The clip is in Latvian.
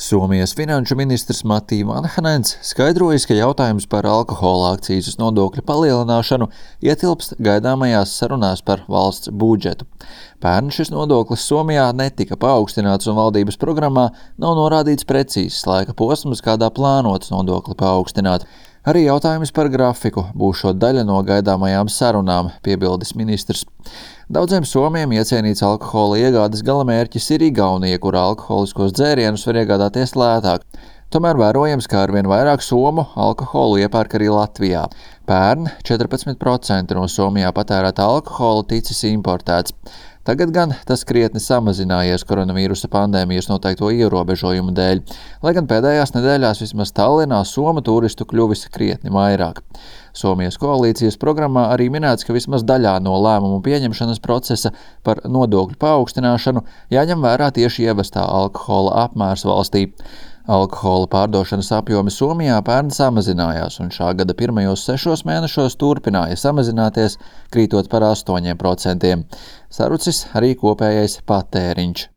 Somijas finanšu ministrs Matti Vanhanens skaidrojis, ka jautājums par alkohola akcīzes nodokļa palielināšanu ietilpst gaidāmajās sarunās par valsts budžetu. Pērn šis nodoklis Somijā netika paaugstināts un valdības programmā nav norādīts precīzs laika posms, kādā plānots nodokli paaugstināt. Arī jautājums par grafiku būšot daļa no gaidāmajām sarunām, piebildis ministrs. Daudziem somiem iecienīts alkohola iegādes galamērķis ir Igaunija, kur alkoholiskos dzērienus var iegādāties lētāk. Tomēr vērojams, ka arvien vairāk somu alkoholu iepērk arī Latvijā. Pērn 14% no Somijā patērētā alkohola ticis importēts. Tagad gan tas krietni samazinājies koronavīrusa pandēmijas noteikto ierobežojumu dēļ, lai gan pēdējās nedēļās vismaz Tallinā somu turistu kļuvis krietni vairāk. Somijas koalīcijas programmā arī minēts, ka vismaz daļā no lēmumu pieņemšanas procesa par nodokļu paaugstināšanu jāņem vērā tieši ievestā alkohola apmērs valstī. Alkohola pārdošanas apjomi Somijā pērn samazinājās un šā gada pirmajos 6 mēnešos turpināja samazināties, krītot par 8%. Sarucis arī kopējais patēriņš.